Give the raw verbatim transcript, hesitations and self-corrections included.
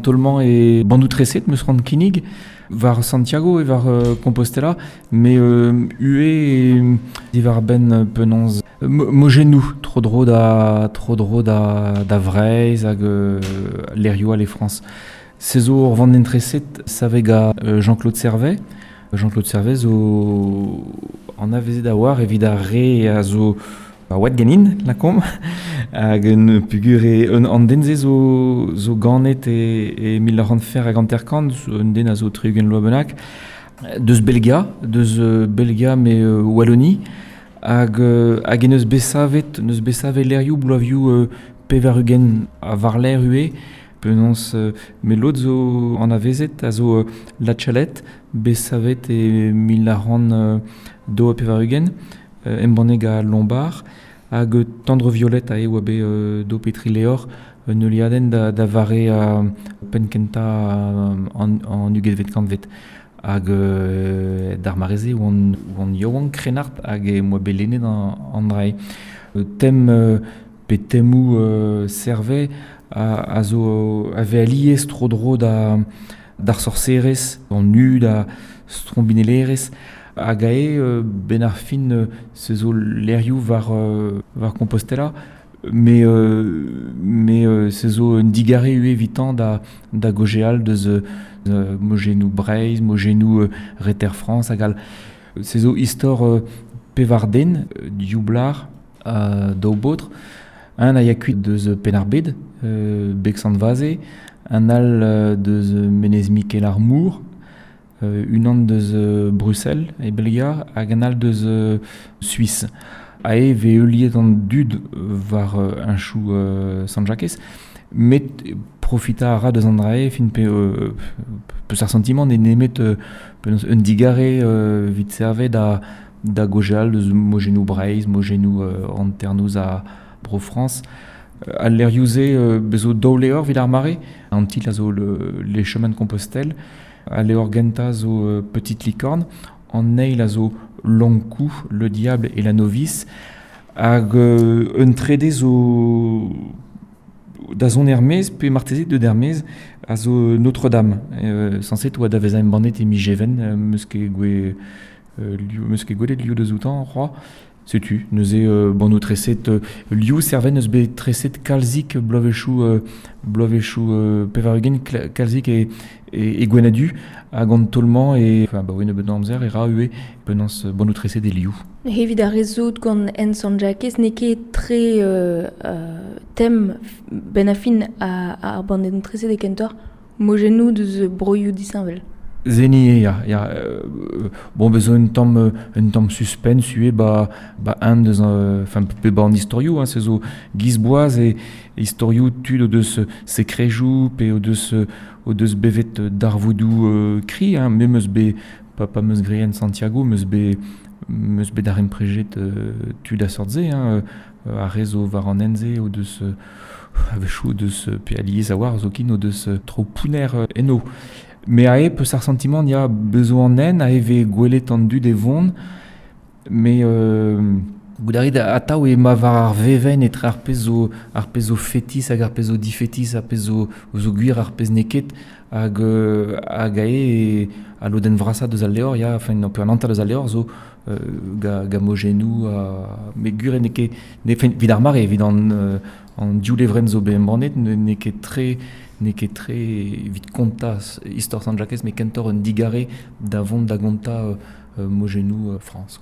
tolman e bandoù treset meus c'hoant kinnig war Santiago e war euh, Compostela, me euh, ue e war ben penaos mojennoù tro dro da tro dro da da Vreizh hag euh, lerioù al e Frañs. Se zo ur vandenn treset savet ga euh, Jean-Claude Servet. Jean-Claude Servet zo anavezet a war evit ar re a zo a oad ganin, lakomp, hag un pugur e un an den se zo, zo ganet e, e mil nav c'hant fer hag hanter-kant, un den a zo tri-ugent loa bennak, deus Belgia, deus euh, Belgia me euh, Wallonie, hag, euh, hag en eus besavet, neus besavet lerioù bloavioù euh, pevar-ugent a varler ue, penaos euh, me lod zo anavezet a zo euh, La Chalette, besavet e mil nav c'hant euh, daou ha pevar-ugent, euh, embannet a Lombard, hag euh, Tendre Violette a e oa bet euh, do petri leor un euliadenn da, da vare a penn-kentañ an, an ugentvet kantved. Hag euh, d'ar mare-se oan, oan yaouank krennard hag e moa bet lennet an, an dra-se. Euh, tem euh, pe temoù euh, Servet a, a zo a vez alies tro-dro da d'ar sorserez, an nu da strombinellerez, hag ae euh, ben ar fin euh, se zo lerioù war, euh, war Compostela, mais euh, mais euh, se zo un digare ue evitan da, da gojeal deus euh, mojennoù Breizh, mojennoù euh, Reter Frañs hag all. Se zo istor euh, pevar den, euh, div blar, euh, daou baotr, un a ya kuit deus Penn-ar-Bed, euh, Beg Sant-Vaze, un all euh, deus Menez Mikel ar Mor, euh, unan deus euh, Bruxelles e Belgia, hag un all deus euh, Suisse. A e ve heuliet an dud war euh, un chou euh, Sant-Jakez, met profita a ra deus an dra-se, fin pe euh, peus ar sentiment ne nemet euh, penaos un digare euh, vit servet da da gojeal deus mojennoù Breizh, mojennoù euh, hanternoz a Bro-Frañs. Al lerioù-se euh, bezo daou levr evit ar mare, an titl a zo le, les chemins de Compostelle, al levr gentañ zo euh, Petite Licorne, an eil a zo Long Cou, Le Diable et la Novice, hag euh, un trede zo da zont er-maez, pe marteze deut er-maez, a zo Notre-Dame. Euh, sañset oa da vezañ embannet e miz Even, euh, meus ket gwe, euh, liv, meus ket gwelet liv deus outañ, c'hoazh. Setu, neuze euh, bannoù treset euh, liv Servet neus bet treset kalzik bloavezhioù euh, bloavezhioù euh, pevar-ugent kalzik e, e, e Gwenn-ha-Du hag an taol-mañ e enfin, ba oe nebeut amzer e ra ue penaos bannoù treset e liv. Evit ar re zo gant en Sant-Jakez n'eo ket tre euh, euh, tem ben a fin a, ar bandennoù treset e kentoc'h mojennoù deus broioù disheñvel. Zeni ya, ya euh, bon bezo un tamm un tamm suspense ue ba ba un deus enfin pe ba an istorioù hein, se zo giz boaz e istorioù tud o deus sekrejoù pe o deus o deus bevet darvoudoù euh, kri hein, me meus bet pa pa meus graet en Santiago meus bet meus bet daremprejet euh, tud a sort-se hein, euh, ar re zo war an hent-se o deus euh, a-wechoù o deus pe alies a war zoken o deus tro pounner euh, eno. Me ae peus ar sentiment ya bezo an nen a eve gwelet an dud e vont, me euh, goût a rit atav e ma war ar vevenn etre ar pezh zo ar pezh zo fetis hag ar pezh zo difetis, ar pezh zo zo gwir ar pezh n'eo ket hag euh, hag ae e a lodenn vrasañ deus al levr ya, enfin pe an hanter deus al levr zo euh, ga, ga mojennoù ha met gwir n'eo ket ne enfin evit ar mare evit an euh, an div levrenn zo bet embannet n'eo ket tre n'eo ket tre evit kontañ istor Sant-Jakez, met kentoc'h un digare da vont da gontañ euh, mojennoù euh, Frañs.